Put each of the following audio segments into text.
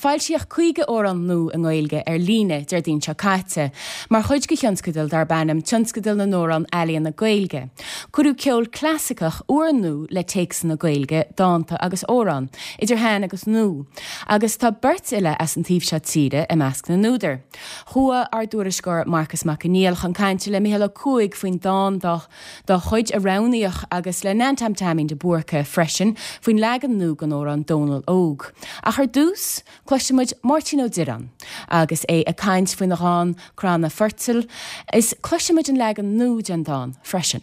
Foilsíodh 50 amhrán nua i nGaeilge ar líne Déardaoin seo caite mar chuid de thionscadal darb ainm Tionscadal na nAmhrán Ealaíona Gaeilge. Cuireadh ceol clasaiceach úrnua le téacsanna Gaeilge, dánta agus amhráin, idir shean agus nua, agus tá beirt fhile as an taobh seo tíre i measc na n-údar. Chuaigh ár dtuairisceoir Marcas Mac Conghail chun cainte le Mícheál Ó Cuaig faoin dán dá dá chuid a roghnaíodh agus le Nan Tom Taimín de Búrca freisin faoin leagan nua den amhrán Dónal Óg. Ach ar dtús, cloisfidh muid Máirtín Ó Direáin agus é ag caint faoina dhán Cranna Foirtil is cloisfidh muid an leagan nua den dán freisin.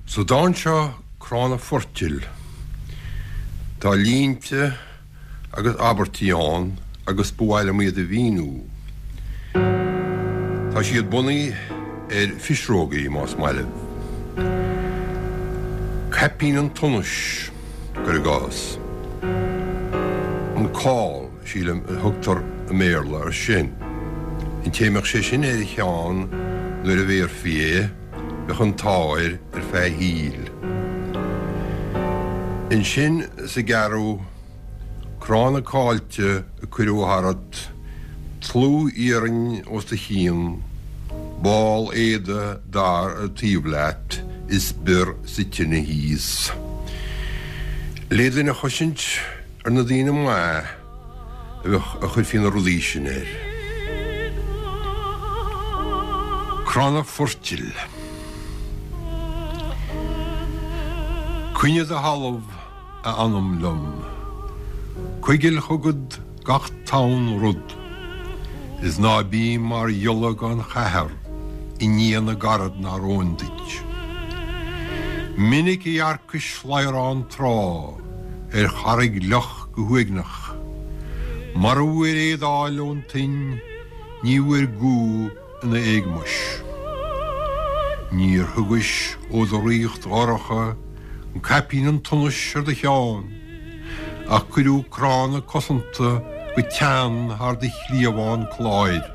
Sa dán seo Cranna Foirtil tá línte agus abairtí ann agus ba mhaith liom iad a mhíniú. Tá siad bunaithe ar phisreogaí, más maith libh. Caipín an tsonais, cuir i gcás. An cál, sílim, a thugtar i mBéarla air sin. An té a mbeadh sé sin ar a cheann nuair a bhéarfaí é, bheadh an t-ádh air ar feadh a shaoil. Ansin sa gceathrú, cranna caillte a cuireadh tharat, tlú iarainn os do chionn, ball éada dair taobh leat is bior sa tine thíos. Le duine a chosaint ar na daoine maithe a bheadh a chuirfí na rudaí sin air. Cranna foirtil. Coinnigh do thalamh, a anam liom. Coigil chugat gach tonn rud, is ná bí mar ghiolla gan chathair i ndiaidh na gcarad nár fhóin duit. Minic a dhearcais ladhrán tráth ar charraig fhliuch go huaigneach. Mara bhfuair éadáil ón tuinn ní bhfuair gú ina éagmais. Níor thugais ó do ríocht dhorcha an caipín an tsonais ar do cheann, ach cuireadh cranna cosanta go teann thar do chliabhán cláir.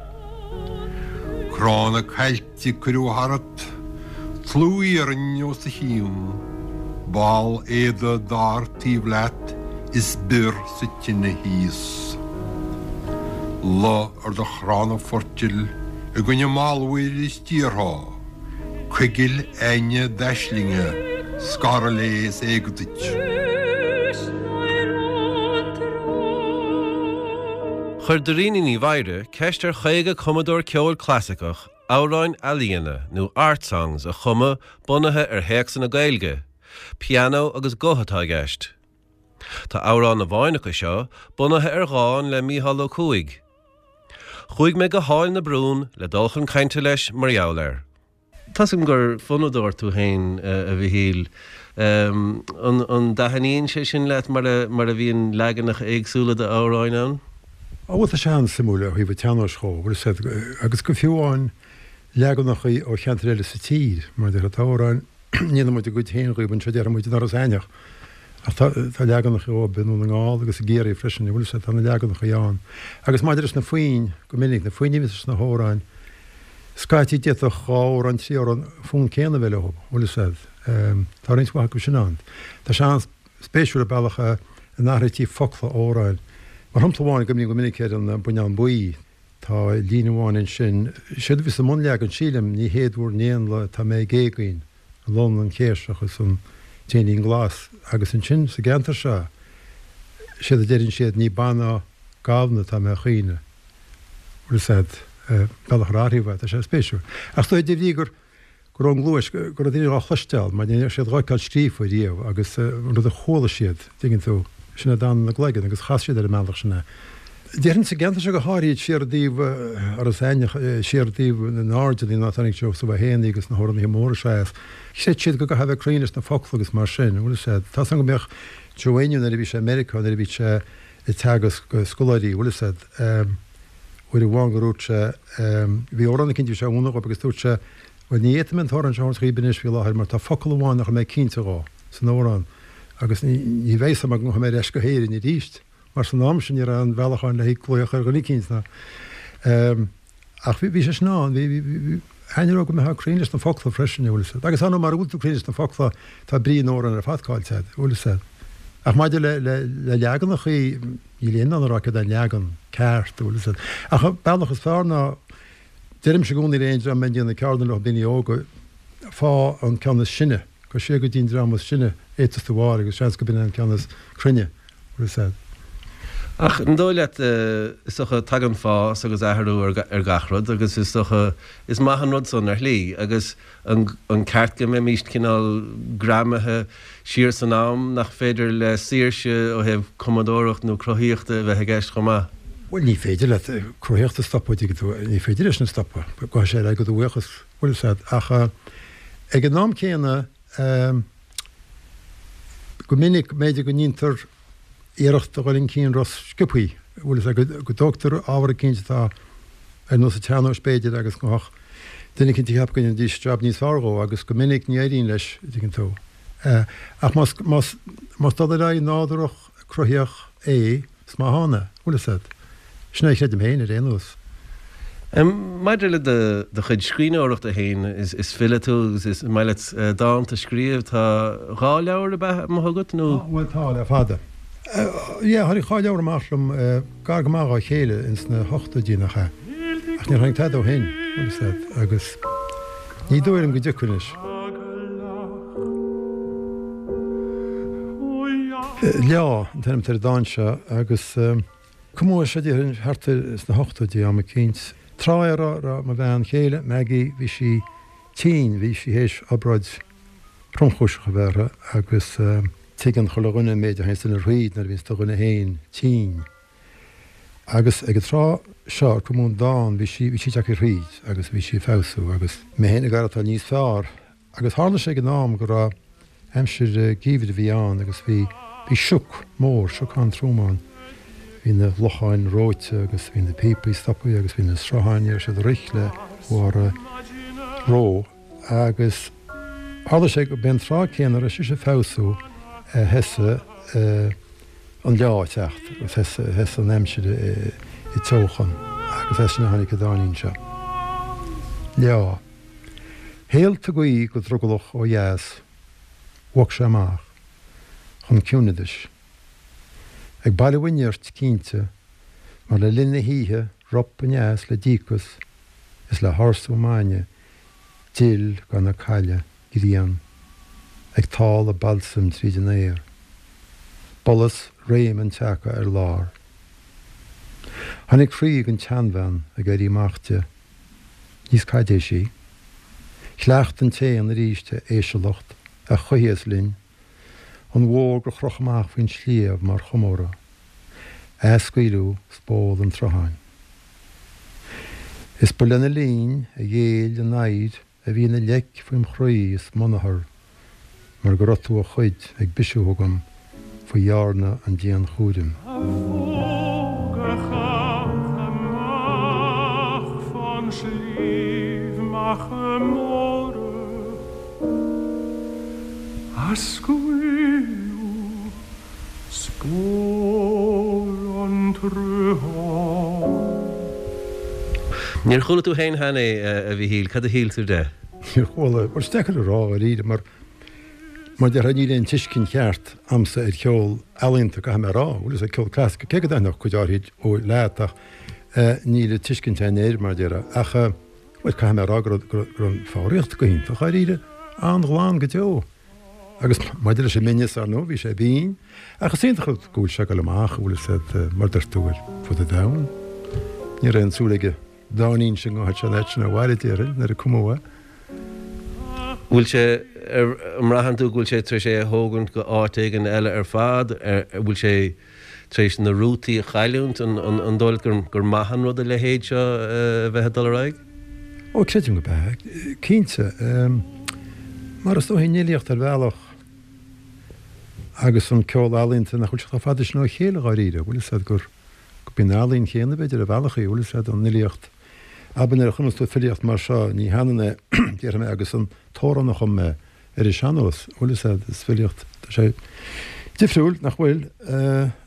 Cranna caillte cuireadh tharat, tlú iarainn os do chionn, ball éada dair taobh leat is bior sa tine thíos. Luigh ar do chranna foirtil i gcoinne malbhair is díorthá, coigil aigne d'aislinge, scaradh léi is éag duit. Chuir Dairena Ní Mheadhra ceist ar 50 cumadóir ceoil clasaiceach amhráin ealaíona nó art songs a chumadh bunaithe ar théacsanna Gaeilge. Pianó agus guth atá i gceist. Tá amhrán amháin acu seo bunaithe ar dhán le Mícheál Ó Cuaig. Chuaigh mé go hAill na Brún le dul chun cainte leis mar gheall air. Tá's agam gur fonnadóir tú féin, a Mhichíl. An dtaitníonn sé sin leat mar a mar a bhíonn leaganacha éagsúla d'amhráin ann? Á bhuel tá sé an-suimiúil ó thaobh an tsean-nóis dhó, bhfuil 'fhios a'd, agus go fiú amháin leaganacha ó cheantair eile sa tír, mar a déarfá, tá amhráin, ndéanann muid a gcuid féin dhíob anseo, déarfaidh muid in Iorras Aithneach, ach tá tá leaganacha dhóib i nDún na nGall agus i gCiarraí freisin, bhfuil 'fhios a'd, tá na leaganacha ann. Agus maidir leis na foinn, go minic, na foinn a bhíonns sna hamhráin, scaití d'fhéadfadh dhá amhrán, trí amhrán, fonn céanna a bheith leo, bhfuil 'fhios a'd. Tá roinnt mhaith acu sin ann. Tá sé an-spéisiúil an bealach a n-athraítí focla amhráin. Mar shampla amháin, cuimhním go minic ar an Buinneán Buí. Tá líne amháin ansin, séard a bhí sa mbunleagan, sílim, ní héad bhur n-éanlaith tá mé ag éagaoin, an lon, an chéirseach is an t-éinín glas, agus ansin sa gceantar seo, séard a deireann siad, ní ba ná gamhna atá mé a chaoineadh. Bhfuil 'fhios a'd, bealach ar athraíodh é, tá sé spéisiúil. Ach is dóigh de bhrí gur. go raibh an ghluais, go raibh daoine dhá chloisteáil, mar ní raibh siad dhá fheiceáil scríofa riamh agus an rud a chuala siad, dtuigeann tú, sin a d'fhan ina gcloigeann agus chas siad ar an mbealach sin é. Déarfainn sa gceantar seo go háirid, siar i dtaobh Iorras Aithneach, siar i dtaobh na nAirdeanna, ná tarraingt Seosamh Ó hÉanaí agus na hamhránaithe móra seo as, chreid siad go gcaithfeá a bheith cruinn leis na focla agus mar sin, bhfuil 'fhios a'd. Tá's agam go mbíodh Joe Éinniú nuair a bhí sé i Meiriceá, nuair a bhí sé ag teagasc scoláirí, bhfuil 'fhios a'd, uair amháin gur dhúirt sé, bhí amhrán eicínt a bhí sé a mhúineadh dhóibh agus dúirt sé, bhuel ní fhéadfaidh mé an t-amhrán seo a thabhairt dhaoib anois faoi láthair mar tá focal amháin nach raibh mé cinnte dhó san amhrán agus ní bheidh 'fhios a'm go ngabhfaidh mé ar ais go hÉirinn arís mar san am sin ní raibh aon bhealach ann le haghaidh glaoch ar dhuine eicínt ná ach bhí sé sin ann, bhí, bhí, bhí, thaitneodh go mbeifeá cruinn leis na focla freisin, bhfuil 'fhios a'd. Agus ar ndóigh mara bhfuil tú cruinn leis na focla tá brí an amhráin ar fad caillte a'd, bhfuil 'fhios a'd. Ach maidir le, le, le leaganachaí. Níl éinne in ann a rá céard é an leagan ceart, an bhfuil fhios agat. Ach an bealach is fearr ná, deirimse i gcónaí le aon dream a mbíonn ag déanamh ceardlann leo, daoine óga, faigh an ceann is sine, gabh siar go dtí an dream is sine a fhéadfas tú a fháil agus seans gurb in é an ceann is cruinne, an bhfuil fhios agat. Ach an dóigh leat, is dócha, tagann fás agus athrú ar gach rud agus is dócha, is maith an rud san ar shlí agus an ceart go mbeimíst cineál greamaithe siar san am, nach féidir le saoirse ó thaobh cumadóireacht nó cruthaíochta a bheith i gceist chomh maith? Bhuel, ní féidir leat cruthaíocht a stopadh, dtuigeann tú, ní féidir é sin a stopadh, gabhfaidh sé ar aghaidh do bhuíochas, bhfuil fhios agat. Ach ag an am céanna, go minic, b'fhéidir go ndéantar iarracht a dhul chun cinn ró-sciobthaí, bhfuil fhios agat, go dtógtar ábhar eicínt atá ar nós an tsean-nóis b'fhéidir agus go mbeadh duine eicínt ag ceapadh go ndéanfaidís jab níos fearr dhó agus go minic ní éiríonn leis, an dtuigeann tú. Ach más, más, más dul ar aghaidh nádúrach cruthaíoch é, Is maith ann é, bhfuil fhios agat. Sin é a chreidim féin, ar aon nós. Maidir le do chuid scríbhneoireachta féin, is file tú agus is maith leat dánta a scríobh. Tá dha leabhar ab ea amuigh agat nó? Tá, bhuel tá, le fada. Yeah, tháinig dha leabhar amach liom gar go maith dhá chéile ins na hochtóidí, nach ea? Ach níor tháinig tada ó shin, bhfuil fhios agat, agus ní dóigh liom go dtiocfaidh anois. Leá an t-ainm atá ar an dán seo agus cumadh é seo déarfainn thart ar sna hochtóidí am eicínt. Tráth é a raibh mo bhean chéile, Maggie, bhí sí tinn, bhí sí théis obráid thromchúiseach a bheith uirthi agus tuigeann chuile dhuine an méid a théanns duine thríd nuair a bhíonns do dhuine féin tinn. Agus ag an tráth seo ar cumadh an dán bhí sí, bhí sí tagtha thríd agus bhí sí ag feabhsú agus mé féin ag aireachtáil níos fearr. Agus tharla sé ag an am go raibh aimsir geimhridh a bhí ann agus bhí, bhí sioc mór, sioc an-trom ann. Bhí na locháin reoite agus bhí na píopaí stoptha agus bhí na srutháin, ní raibh siad ag rith le barr reo. Agus tharla sé go b'é an tráth céanna a raibh sise ag feabhsú a thosaigh an leá ag teacht agus thosaigh an aimsir ag teochan agus as sin a tháinig an dáinín seo. Leá. Shéaltaigh gaoth go drogallach ó dheas, bhog sé amach chun ciúineadais. Ag bailiú a nirt, cinnte, mar le linn na hoíche rop aneas le díocas is le hársú maidne d'fhill gan a cailleadh grian ag táladh balsaim tríd an aer. B'fhollas réim an tseaca ar lár. Tháinig croí ag an tseanbhean ag éirí amach di. Níos caidéisí. Chleacht an t-éan arís a éisealacht a choícheas linn, an mhóg a chroch amach faoin sliabh mar chomóradh, athscaoileadh spól an tsrutháin. Is ba lena linn a ghéill an oidhir a bhí ina leic faoim chroí is m'ionathar mar go raibh tú a chuid ag bisiú chugam faoi dhearna an dianchúraim. A bhóg a chaith amach fán sliabh Macha Móra a scaoileadh spól an tsrutháin. Níor chuala tú féin cheana é, a Mhíchíl, cad a shíl tú de? Níor chuala. Bhuel, is deacair a rá, dháiríre, mar, mar a déarfá, níl aon tuiscint cheart a'msa ar cheol ealaíonta, caithfidh mé a rá. Bhfuil fhios a'd, ceol clasaiceach, cé go dtaitneodh cuid áirid ó leat, ach níl an tuiscint a'inn air, mar a déarfá. Ach, bhuel, caithfidh mé a rá go raibh, go raibh an foghraíocht go hiontach, dháiríre. An-ghlan go deo. Agus maidir leis an mbinneas, ar ndóigh, bhí sé binn. Ach is iontach rud go bhfuil sé ag dul amach, an bhfuil fhios a'd, mar dúirt tú, ar fud an domhain. Ní raibh aon tsúil ag an dáinín sin go ngabhfadh sé an fhad sin abhaile, déarfainn, nuair a cumadh é. Bhfuil sé, an mbraitheann tú go bhfuil sé tar éis é a thógaint go áit éigin eile ar fad? An bhfuil sé tar éis na rútaí a chailliúint? An dóigh leat gur maith an rud a leithéid seo a bheith ag dul ar aghaidh? Ó, creidim gurb ea, cinnte. Mar is dóichí an fhilíocht ar bhealach agus an ceol ealaíonta nach bhfuil sé chomh fada sin ó chéile dháiríre, bhfuil fhios a'd gur gurb í an ealaín chéanna b'fhéidir ar bhealach í, bhfuil fhios a'd, an fhilíocht. Abair nuair a chumas tú filíocht mar seo, ní hionann é, déarfaidh mé, agus an t-amhrán a chum mé ar an sean-nós, bhfuil fhios a'd, is filíocht, tá sé difriúil, nach bhfuil?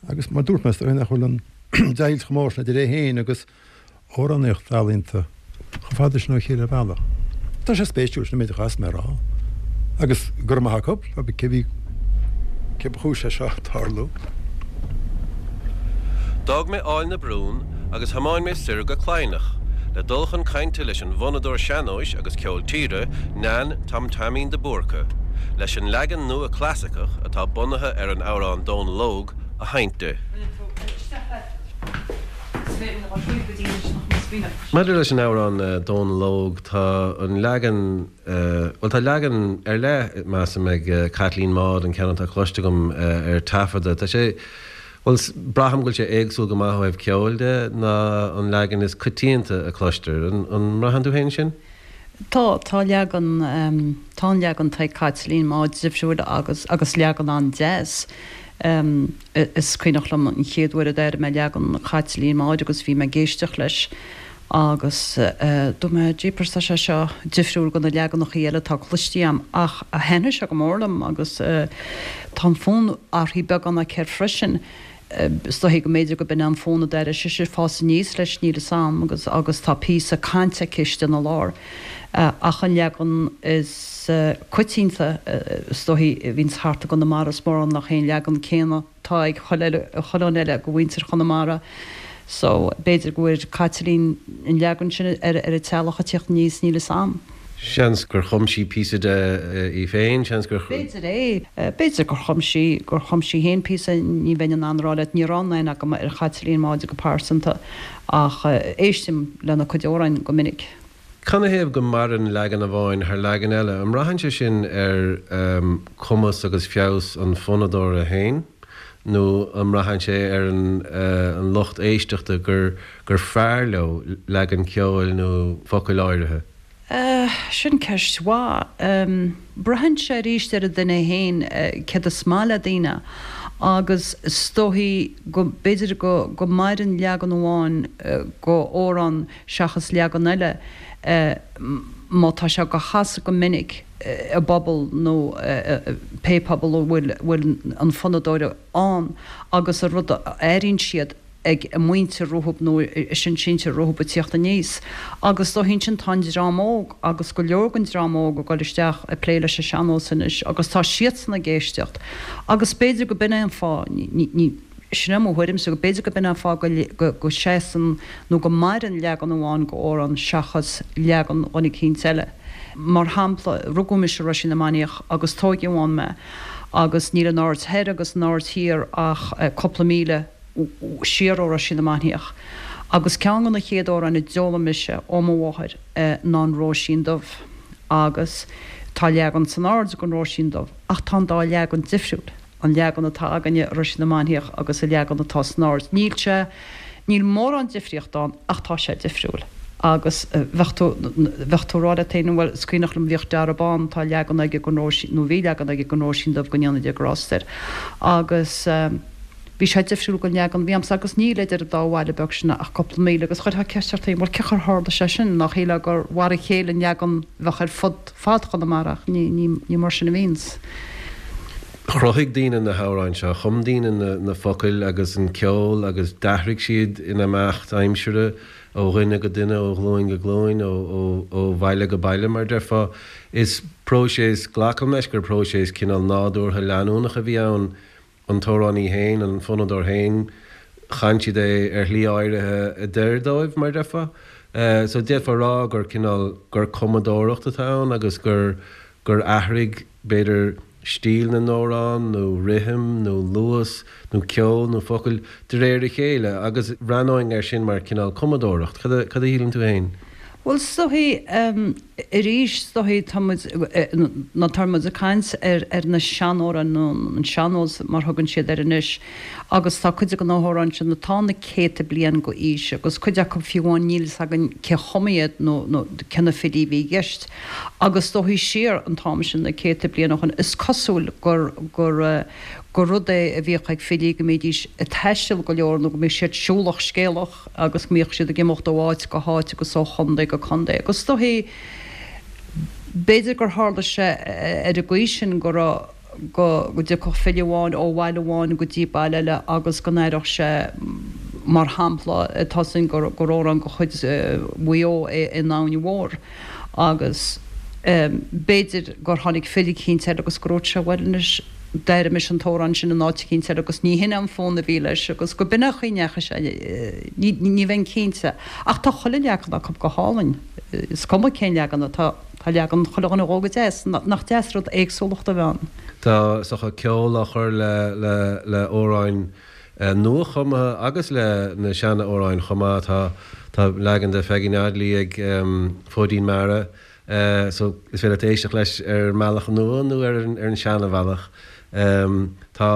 Agus mar dúirt mé, is dóigh nach bhfuil an deighilt chomh mór sin idir é féin agus amhránaíocht ealaíonta chomh fada sin ó chéile ar bhealach. Tá sé spéisiúil, sin an méid a chaithfeas mé a rá. Agus go raibh maith acu, cé bhí, cé ba chúis leis seo tarlú. D'fhág mé Aill na Brún agus thiomáin mé soir go Cladhnach le dul chun cainte leis an bhfonnadóir sean-nóis agus ceol tíre, Nan Tom Taimín de Búrca, leis an leagan nua clasaiceach atá bunaithe ar an amhrán Dónal Óg a sheinnt di. Maidir leis an amhrán Dónal Óg, tá an leagan, bhuel tá leagan ar leith, measaim, ag Caitlín Maude, an ceann atá cloiste agam ar taifeadadh. Tá sé, bhuel, braithim go bhfuil sé éagsúil go maith ó thaobh ceoil de ná an leagan is coitianta a cloistear. An mbraitheann tú féin sin? Tá, tá leagan, tá an leagan atá ag Caitlín Maude difriúil agus, agus leagan an-deas. Is cuimhneach liom an chéad uair a d'airigh mé leagan Chaitlín Maude agus bhí mé ag éisteacht leis agus dúirt mé, jeepers tá sé seo difriúil go na leaganachaí eile atá cloistí a'm ach thaitnigh sé go mór liom agus tá an fonn athraithe beagán aici air freisin. Is dóichí go mb'fhéidir go b'in é an fonn a d'airigh sise ag fás aníos leis, níl 'fhios a'm, agus agus tá píosa cainte aici istigh ina lár. Ach an leagan is coitianta, is dóichí, a bhíonns thart i gConamara, is mórán nach é an leagan céanna atá ag chuile chuile dhuine eile de mhuintir Chonamara. So, b'fhéidir go bhfuair Caitlín an leagan sin ar a teaghlach ag tíocht aníos, níl 'fhios a'm. Seans gur chum sí píosa de í féin, seans gur. B'fhéidir é. B'fhéidir gur chum sí, gur chum sí féin píosa, ní bheinn in ann a rá leat, ní raibh aon aithne agam ar Chaitlín Maude go pearsanta ach éistim lena cuid amhráin go minic. Canathaobh go maireann leagan amháin thar leagan eile? An mbraitheann sé sin ar chumas agus feabhas an fhonnadóra féin nó an mbraitheann sé ar an lucht éisteachta gur gur fearr leo leagan ceoil nó focail áirithe? Sin ceist mhaith. Braitheann sé arís ar an duine féin céard is maith le daoine agus is dóichí go b'fhéidir go go maireann leagan amháin go amhrán seachas leagan eile má tá sé go chasadh go minic i bpobal nó pé pobal a bhfuil bhfuil an fonnadóir ann agus an rud a airíonn siad ag a muintir rompu nó a sin-sinsir rompu ag tíocht aníos. Agus dá thoin sin tá an dream óg agus go leor den dream óg ag dul isteach ag plé leis an sean-nós anois agus tá siadsan ag éisteacht. Agus b'fhéidir go b'in é an fáth, ní, ní, sin é mo thuairimse, go b'fhéidir go b'in é an fáth go, go seasann nó go maireann leagan amháin go amhrán seachas leagan dhuine eicínt eile. Mar shampla, rugadh mise i Roisín na Mainiach agus tóigeadh ann mé agus níl an Aird Thoir agus an Aird Thiar ach cúpla míle siar ó Roisín na Mainiach, agus ceann de na chéad amhráin a d'fhoghlaim mise ó mo mháthair ná an Róisín Dubh. Agus tá leagan san Aird den Róisín Dubh, ach tá an dá leagan difriúil, an leagan atá againne i Roisín na Mainiach agus an leagan atá san Aird. Níl sé, níl mórán difríocht ann ach tá sé difriúil. Agus bheadh tú, bheadh tú ag rá leat féin, bhuel, is cuimhneach liom bhíodh Dara Bán, tá leagan aige den Róisín, nó bhí leagan aige den Róisín Dubh go ndéana Dia grásta air. Agus. Bhí sé difriúil gon leagan a bhí a'msa agus níl idir an dá bhaile beag sin ach cúpla míle agus chuirfeá ceist ort féin, bhuel cén chaoi ar tharla sé sin, nach shílfeá gur mhar a chéile an leagan a bheadh ar fud fad Chonamara ach ní, ní, ní mar sin a bhíonns. Chruthaigh daoine na hamhráin seo, chum daoine na, na focail agus an ceol agus d'athraigh siad in imeacht aimsire ó dhuine go duine, ó ghlúin go glúin, ó, ó, ó bhaile go baile mar a déarfá. Is próiseas, glacaim leis gur próiseas cineál nádúrtha leanúnach a bhí ann an t-amhránaí féin, an fonnadóir féin, chan siad é ar shlí áirithe a d'oir dóibh, mar a déarfá. So d'fhéadfá a rá gur cineál, gur cumadóireacht atá ann agus gur, gur athraigh, b'fhéidir, stíl na n-amhrán nó rithim nó luas nó ceol nó focail de réir a chéile agus bhreathnóinn air sin mar cineál cumadóireacht. Cad a, cad a shíleann tú féin? Bhuel, is dóichí, arís, is dóichí, tá muid, nó tá muid ag caint ar ar na seanamhráin nó an sean-nós mar thugann siad air anois agus tá cuid de na hamhráin sin atá na céadta bliain go aois agus cuid acu fiú amháin níl fhios againn cé chum iad nó nó cé na filí a bhí i gceist agus is dóichí siar an t-am sin na céadta bliain ó shin is cosúil gur gur gur rud é a bhíodh ag filí go mbídís ag taisteal go leor nó go mbíodh siad siúlach scéalach. agus go mbíodh siad ag imeacht ó áit go háit agus ó chontae go contae. Agus is dóichí, b'fhéidir gur tharla sé ar an gcaoi sin go raibh, go dtiocfadh file amháin ó bhaile amháin go dtí baile eile agus go n-aireodh sé, mar shampla, tá 'fhios againn gur amhrán de chuid Mhaigh Eo é An Abhainn Mhór agus b'fhéidir gur tháinig file eicínt eile agus go ndúirt sé, bhuel anois. D'airigh mise an t-amhrán sin in áit eicínt eile agus ní hin é an fonn a bhí leis agus go b'in é an chaoi a ndeachaigh sé, ní bheinn cinnte. Ach tá chuile leagan acu go hálainn, is cuma cén leagan atá, tá leagan chuile dhuine dhó go deas, nach deas rud éagsúlacht a bheith ann. Tá is dócha ceol á chur le le hamhráin nuachumtha agus le na seana-amhráin chomh maith. Tá tá leagan de Pheigí Notley ag Fóidín Mara. So is féidir leat éisteacht leis ar an mbealach nua nó ar an seana-bhealach. Tá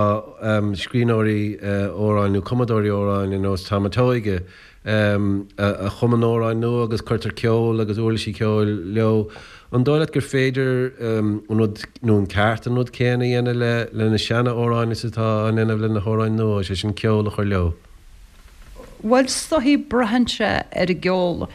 scríbhneoirí amhráin nó cumadóirí amhráin ar nós Tom a' Tóige a chumann amhráin nua agus cuirtear ceol agus uirlisí ceoil leo. An dóigh leat gur féidir an rud nó an ceart an rud céanna a dhéanamh le na seana-amhráin is atá á ndéanamh le na hamhráin nua, sé sin ceol a chur leo? Bhuel, is dóichí, braitheann sé ar an gceol.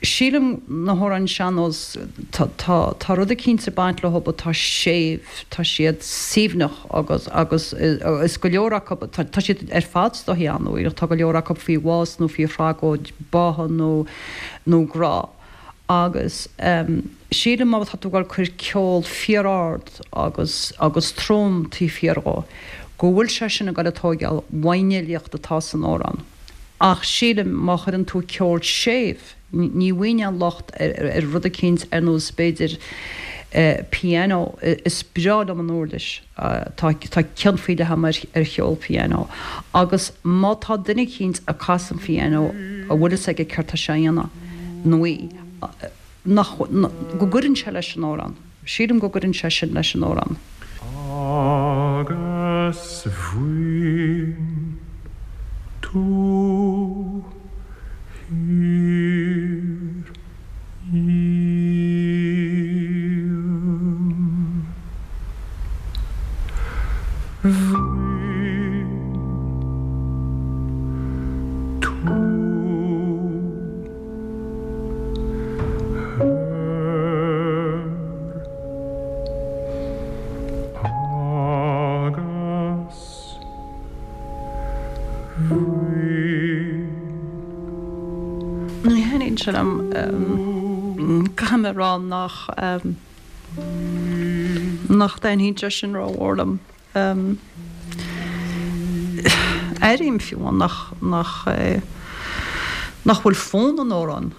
Sílim na hamhráin sean-nós, tá, tá, tá rud eicínt ag baint leo atá séimh, tá siad suaimhneach agus, agus is go leor acu, tá, tá siad ar fad is dóichí an-uaigneach, tá go leor acu faoi bhás nó faoi thragóid báthadh nó, nó grá. Agus sílim má tá tú ag dul cur ceol fíor-ard agus agus trom taobh thiar dhó, go bhfuil sé sin ag dul ag tóigeáil uaidh an fhilíocht atá san amhrán. Ach sílim má chuireann tú ceol séimh, ní bhfaighinn aon locht ar rud eicínt ar nós b'fhéidir piano, is breá liom an uirlis. Tá cion faoi leith agam ar cheol pianó agus má tá duine eicínt ag casadh an phianó a bhfuil fhios aige céard tá sé a dhéanamh, nó í, nach, go gcuireann sé leis an amhrán. Sílim go gcuireann sé sin leis an amhrán. Agus bhain tú thiar dhíom. Bhain tú thoir agus bhain. Ní thaitníonn sé liom. Caithfidh mé a rá nach nach dtaitníonn sé sin rómhór liom. Airím fiú amháin nach nach nach bhfuil fonn an amhráin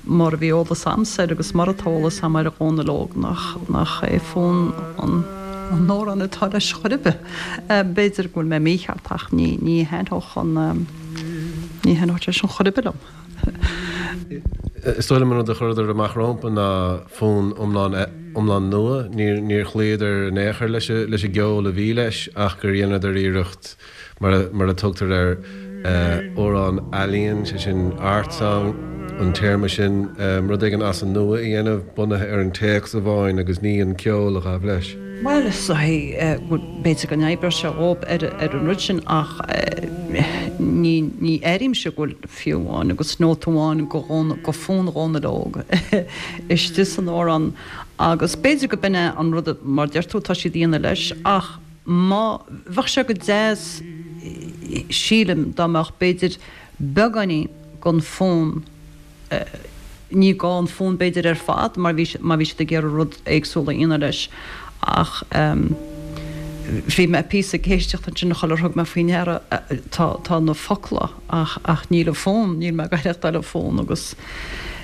mar a bhí eolas a'msa air agus mar atá eolas a'm ar a Dhónall Óg nach nach é fonn an an amhráin atá leis chor ar bith. B'fhéidir go bhfuil mé mícheart ach ní ní thaitneodh an Ní thaitneodh sé sin chor ar bith liom. Is dóigh liom an rud a chuireadar amach rompu ná fonn iomlán iomlán nua. Níor níor chloíodar in aon chor leis leis an gceol a bhí leis ach gur dheineadar iarracht mar a mar a tugtar air amhrán ealaíon, sé sin art song an téarma sin, rud éigin as an nua a dhéanamh bunaithe ar an téacs amháin agus ní an ceol a ghabh leis. Bhuel, is dóichí b'fhéidir go n-oibreodh sé dhóibh ar an rud sin ach ní ní airímse go bhfuil fiú amháin agus nóta amháin go go fonn Dhónaill Óg istigh san amhrán agus b'fhéidir go b'in é an rud mar deir tú atá siad a dhéanamh leis ach má bheadh sé go deas sílim dá mbeadh b'fhéidir beagáinín den fonn Ní gá an fonn b'fhéidir ar fad mar bhí má bhí siad ag iarraidh rud éagsúil a dhéanamh leis ach bhí mé píosa ag éisteacht ansin sular thug mé faoi ndeara tá tá na focla ach ach níl an fonn, níl mé ag aireachtáil an fonn agus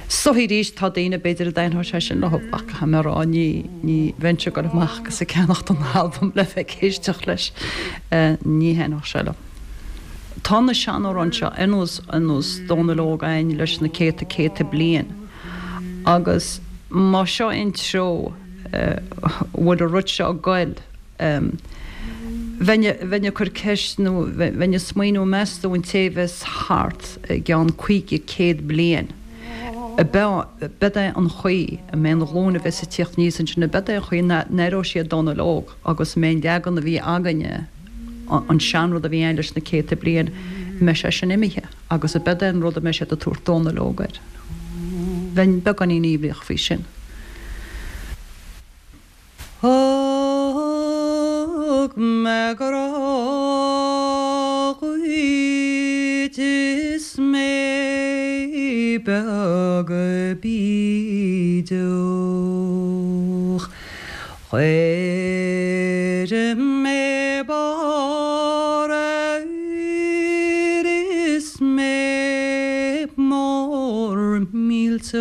is dóichí arís tá daoine b'fhéidir a dtaitneodh sé sin leo ach caithfidh mé a rá ní ní bheinnse ag dul amach agus ag ceannacht an albam le bheith ag éisteacht leis ní thaitneodh sé liom. Tá na seanamhráin seo ar nós ar nós Dónal Óg againn leis na céadta céadta bliain agus má seo é an treo a bhfuil an rud seo ag goil bheinn bheinn ag cur ceist nó bheinn ag smaoineamh meas tú an té a bheas thart i gceann 50 100 bliain ab é an chaoi a mbeidh an ghlúin a bheas ag tíocht aníos ansin ab é an chaoi a n-aireoidh siad Dónal Óg agus a mbeidh an leagan a bhí againne an seanrud a bhí ann leis na céadta bliain, an mbeidh sé sin imithe agus ab é an rud a mbeidh siad ag tabhairt Dónal Óg air. Bheinn beagáinín imníoch faoi sin. Thug mé grá dhuit is mé beag bídeach. Chuir. mór millteach.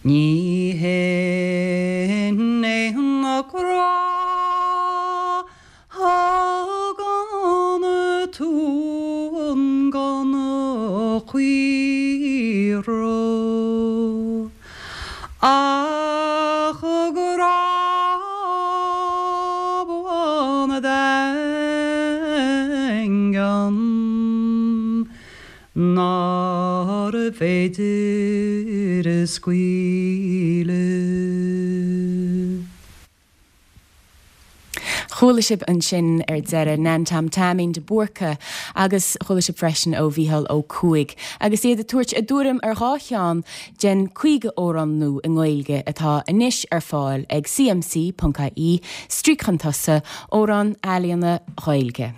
Ní hin é an grá thugann tú don chaora ach grá buan daingean nárbh fhéidir a scaoileadh. Chuala sibh ansin ar deireadh Nan Tom Taimín de Búrca agus chuala sibh freisin ó Mhícheál Ó Cuaig agus iad ag tabhairt a dtuairim ar 2 cheann den 50 amhrán nua i nGaeilge atá anois ar fáil ag cmc.ie, stríoc chun tosaigh, Amhráin Ealaíona Ghaeilge.